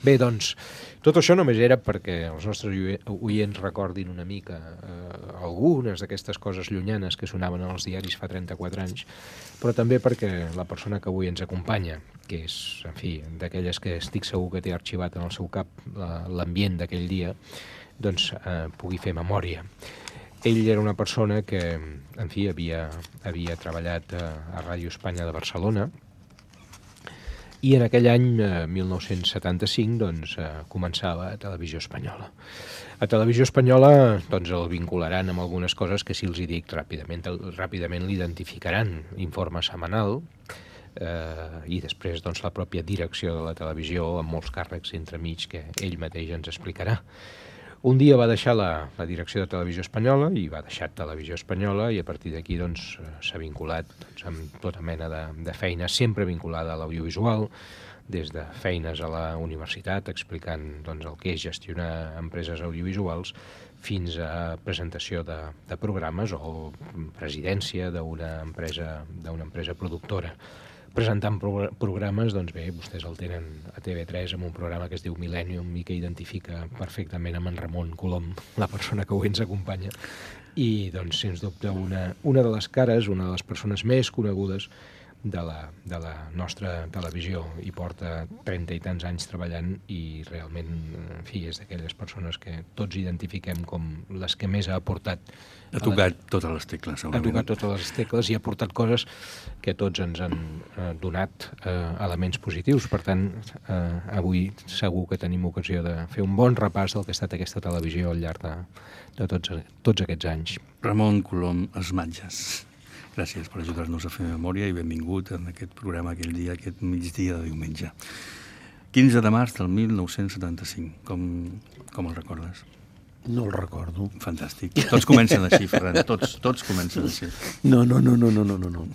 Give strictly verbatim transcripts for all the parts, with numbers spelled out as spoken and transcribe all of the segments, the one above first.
Bé, doncs, tot això només era perquè els nostres oients recordin una mica eh, algunes d'aquestes coses llunyanes que sonaven als diaris fa trenta-quatre anys, però també perquè la persona que avui ens acompanya, que és, en fi, d'aquelles que estic segur que té arxivat en el seu cap l'ambient d'aquell dia, doncs eh, pugui fer memòria. Ell era una persona que, en fi, havia, havia treballat a, a Ràdio Espanya de Barcelona, i en aquell any, eh, mil nou-cents setanta-cinc, doncs, eh, començava a Televisió Espanyola. A Televisió Espanyola doncs, el vincularan amb algunes coses que, si els hi dic ràpidament, ràpidament l'identificaran. Informe setmanal, eh, i després doncs, la pròpia direcció de la televisió, amb molts càrrecs entremig que ell mateix ens explicarà. Un dia va deixar la, la direcció de Televisió Espanyola i va deixar Televisió Espanyola, i a partir d'aquí doncs, s'ha vinculat doncs, amb tota mena de, de feina, sempre vinculada a l'audiovisual, des de feines a la universitat explicant doncs, el que és gestionar empreses audiovisuals, fins a presentació de, de programes o presidència d'una empresa, d'una empresa productora. Presentant pro programes, doncs bé, vostès el tenen a T V tres amb un programa que es diu Millennium i que identifica perfectament amb en Ramon Colom, la persona que avui ens acompanya, i doncs, sens dubte, una, una de les cares, una de les persones més conegudes de la, de la nostra televisió, i porta trenta i tants anys treballant, i realment, en fi, és d'aquelles persones que tots identifiquem com les que més ha aportat. Ha tocat la... totes les tecles, segurament. Ha tocat totes les tecles i ha aportat coses que tots ens han eh, donat eh, elements positius. Per tant, eh, avui segur que tenim ocasió de fer un bon repàs del que ha estat aquesta televisió al llarg de, de tots, tots aquests anys. Ramon Colom Esmatges, gràcies per ajudar-nos a fer memòria i benvingut en aquest programa aquell dia, aquest migdia de diumenge. quinze de març del mil nou-cents setanta-cinc. Com, com el recordes? No el recordo. Fantàstic. Tots comencen així, Ferran. Tots, tots comencen així. No, no, no, no, no, no, no.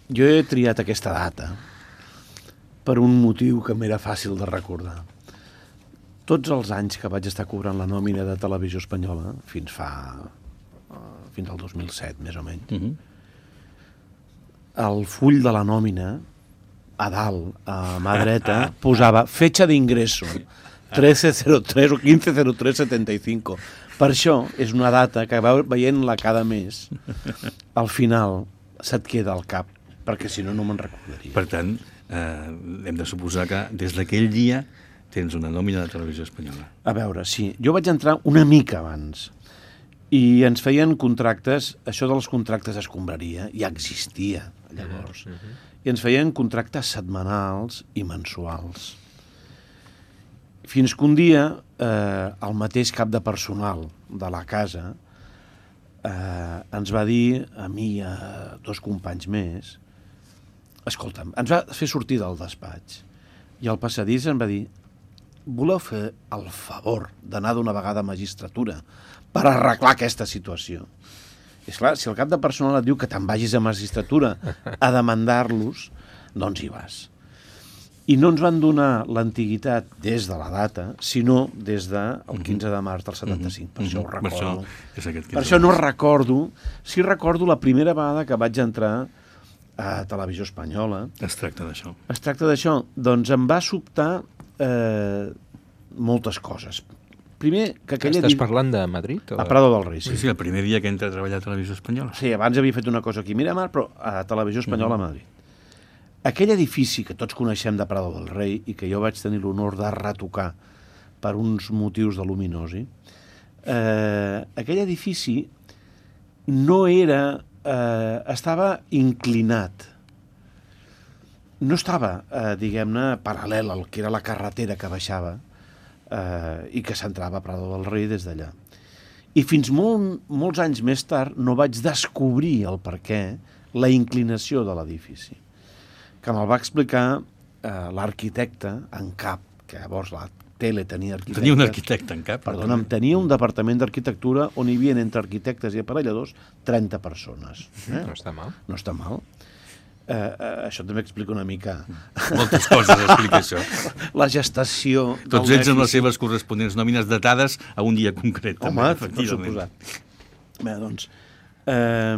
Jo he triat aquesta data per un motiu que m'era fàcil de recordar. Tots els anys que vaig estar cobrant la nòmina de Televisió Espanyola, fins fa... fins al dos mil set, més o menys, uh-huh. El full de la nòmina, a dalt, a mà dreta, posava fecha d'ingresso, trece cero tres o quinze cero tres setenta y cinco. Per això és una data que veient-la cada mes, al final se't queda al cap, perquè si no, no me'n recordaria. Per tant, eh, hem de suposar que des d'aquell dia tens una nòmina de Televisió Espanyola. A veure, sí. Jo vaig entrar una mica abans i ens feien contractes, això dels contractes escombraria, ja existia llavors, uh -huh. i ens feien contractes setmanals i mensuals. Fins que un dia eh, el mateix cap de personal de la casa eh, ens va dir, a mi i a dos companys més, escolta'm, ens va fer sortir del despatx i al passadís ens va dir, voleu fer el favor d'anar d'una vegada a magistratura per arreglar aquesta situació? I esclar, si el cap de personal et diu que te'n vagis a magistratura a demandar-los, doncs hi vas. I no ens van donar l'antiguitat des de la data, sinó des del quinze de març del setanta-cinc. Per això ho recordo. Per això no recordo. Sí recordo la primera vegada que vaig entrar a Televisió Espanyola. Es tracta d'això. Es tracta d'això. Doncs em va sobtar eh, moltes coses. Primer, que aquella... Estàs parlant de Madrid? O... A Prado del Rei, sí. Sí, sí, el primer dia que entra a treballar a Televisió Espanyola. Sí, abans havia fet una cosa aquí a Miramar, però a Televisió Espanyola a Madrid. Aquell edifici que tots coneixem de Prado del Rei i que jo vaig tenir l'honor de retocar per uns motius de luminosi, eh, aquell edifici no era... Eh, estava inclinat. No estava, eh, diguem-ne, paral·lel al que era la carretera que baixava eh, i que s'entrava a Prado del Rei des d'allà. I fins molt, molts anys més tard no vaig descobrir el perquè, la inclinació de l'edifici, que me'l va explicar eh, l'arquitecte en cap, que llavors la tele tenia arquitectes. Tenia un arquitecte en cap. Perdona'm, tenia un departament d'arquitectura on hi havia entre arquitectes i aparelladors trenta persones. Eh? No està mal. No està mal. Eh, eh, això també explica una mica... Moltes coses explica això. La gestació... Tots ells amb les seves corresponents nòmines datades a un dia concret. Home, també, per suposat. Bé, doncs... Eh,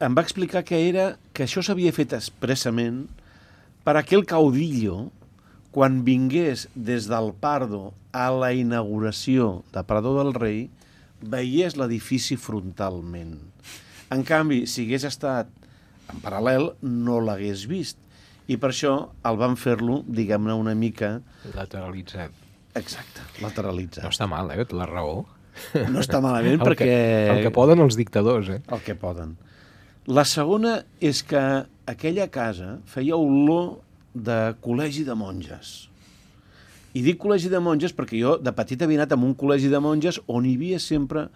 em va explicar que era que això s'havia fet expressament per aquell caudillo quan vingués des del Pardo a la inauguració de Prado del Rei, veiés l'edifici frontalment. En canvi, si hagués estat en paral·lel, no l'hagués vist. I per això el van fer-lo, diguem-ne, una mica... Lateralitzat. Exacte, lateralitzat. No està mal, eh? La raó. No està malament el perquè... Que, el que poden els dictadors, eh? El que poden. La segona és que aquella casa feia olor de col·legi de monges. I dic col·legi de monges perquè jo de petit havia anat a un col·legi de monges on hi havia sempre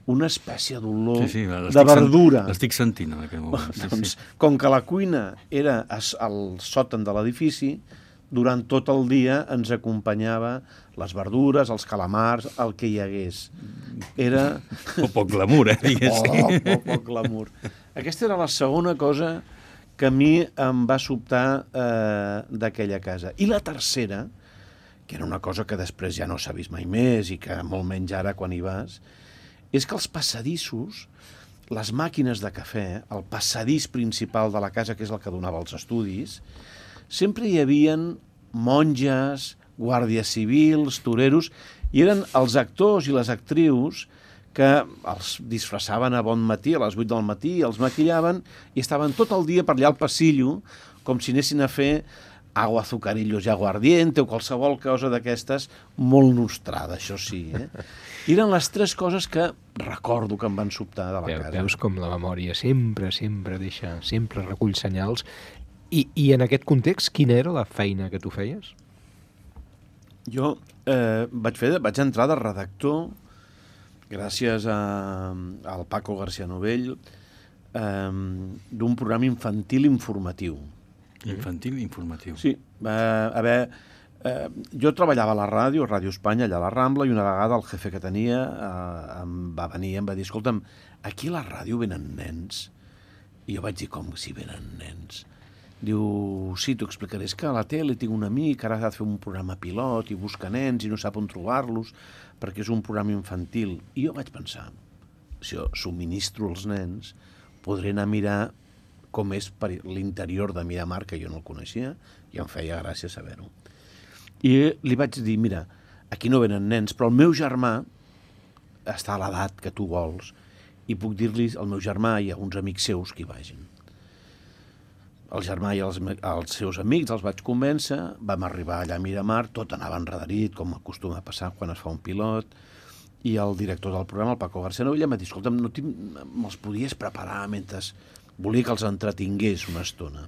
una espècie d'olor sí, sí, de verdura. L'estic sentint en aquest moment. Sí, doncs, sí. Com que la cuina era al sòtan de l'edifici, durant tot el dia ens acompanyava les verdures, els calamars, el que hi hagués. Era... O poc glamour, eh? Diguéssim. Oh, poc, poc glamour. Aquesta era la segona cosa que a mi em va sobtar eh, d'aquella casa. I la tercera, que era una cosa que després ja no s'ha vist mai més i que molt menys ara quan hi vas, és que els passadissos, les màquines de cafè, el passadís principal de la casa, que és el que donava als estudis, sempre hi havien monges, guàrdies civils, toreros, i eren els actors i les actrius que els disfressaven a bon matí, a les vuit del matí, els maquillaven i estaven tot el dia per allà al passillo, com si anessin a fer agua, azucarillos i aguardiente o qualsevol cosa d'aquestes, molt nostrada, això sí. Eh? I eren les tres coses que recordo que em van sobtar de la Veu, casa. Veus com la memòria sempre, sempre deixa, sempre recull senyals. I, I en aquest context, quina era la feina que tu feies? Jo eh, vaig, fer, vaig entrar de redactor gràcies a, al Paco García Novell eh, d'un programa infantil informatiu. Infantil informatiu. Sí, va haver... Eh, jo treballava a la ràdio, a Ràdio Espanya, allà a la Rambla, i una vegada el jefe que tenia eh, em va venir i em va dir, escolta'm, aquí a la ràdio venen nens. I jo vaig dir, com si venen nens? Diu, sí, t'ho explicaré, és que a la tele tinc un amic, ara ha de fer un programa pilot i busca nens i no sap on trobar-los perquè és un programa infantil. I jo vaig pensar, si jo subministro els nens, podré anar a mirar com és per l'interior de Miramar, que jo no el coneixia, i em feia gràcia saber-ho. I li vaig dir, mira, aquí no venen nens, però el meu germà està a l'edat que tu vols i puc dir-li al meu germà i a uns amics seus que hi vagin. El germà i els, els seus amics els vaig convèncer, vam arribar allà a Miramar, tot anava enredarit, com acostuma a passar quan es fa un pilot, i el director del programa, el Paco García Novell, em va dir, escolta'm, no me'ls podies preparar mentre volia que els entretingués una estona.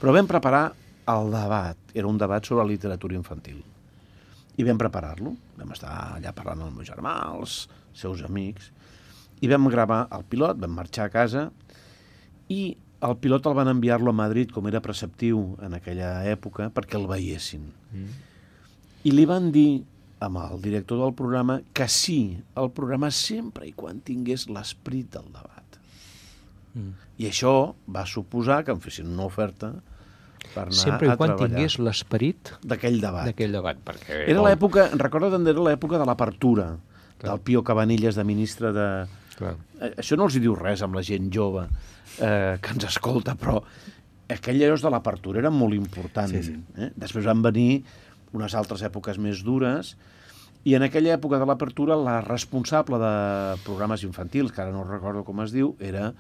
Però vam preparar el debat, era un debat sobre literatura infantil. I vam preparar-lo, vam estar allà parlant amb el meu germà, els seus amics, i vam gravar el pilot, vam marxar a casa, i el pilot el van enviar-lo a Madrid, com era preceptiu en aquella època, perquè el veiessin. Mm. I li van dir amb el director del programa que sí, el programa sempre i quan tingués l'esperit del debat. Mm. I això va suposar que em fessin una oferta per anar sempre i a quan treballar. Tingués l'esperit d'aquell debat. D'aquell debat, perquè... Era l'època, recorda també, era l'època de l'apertura, del Pío Cabanillas de ministre de... Clar. Això no els hi diu res amb la gent jove eh, que ens escolta, però aquells anys de l'apertura eren molt importants. Sí, sí. Eh? Després van venir unes altres èpoques més dures, i en aquella època de l'apertura la responsable de programes infantils, que ara no recordo com es diu, era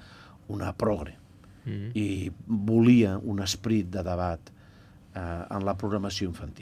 una progre. Mm-hmm. I volia un esperit de debat eh, en la programació infantil.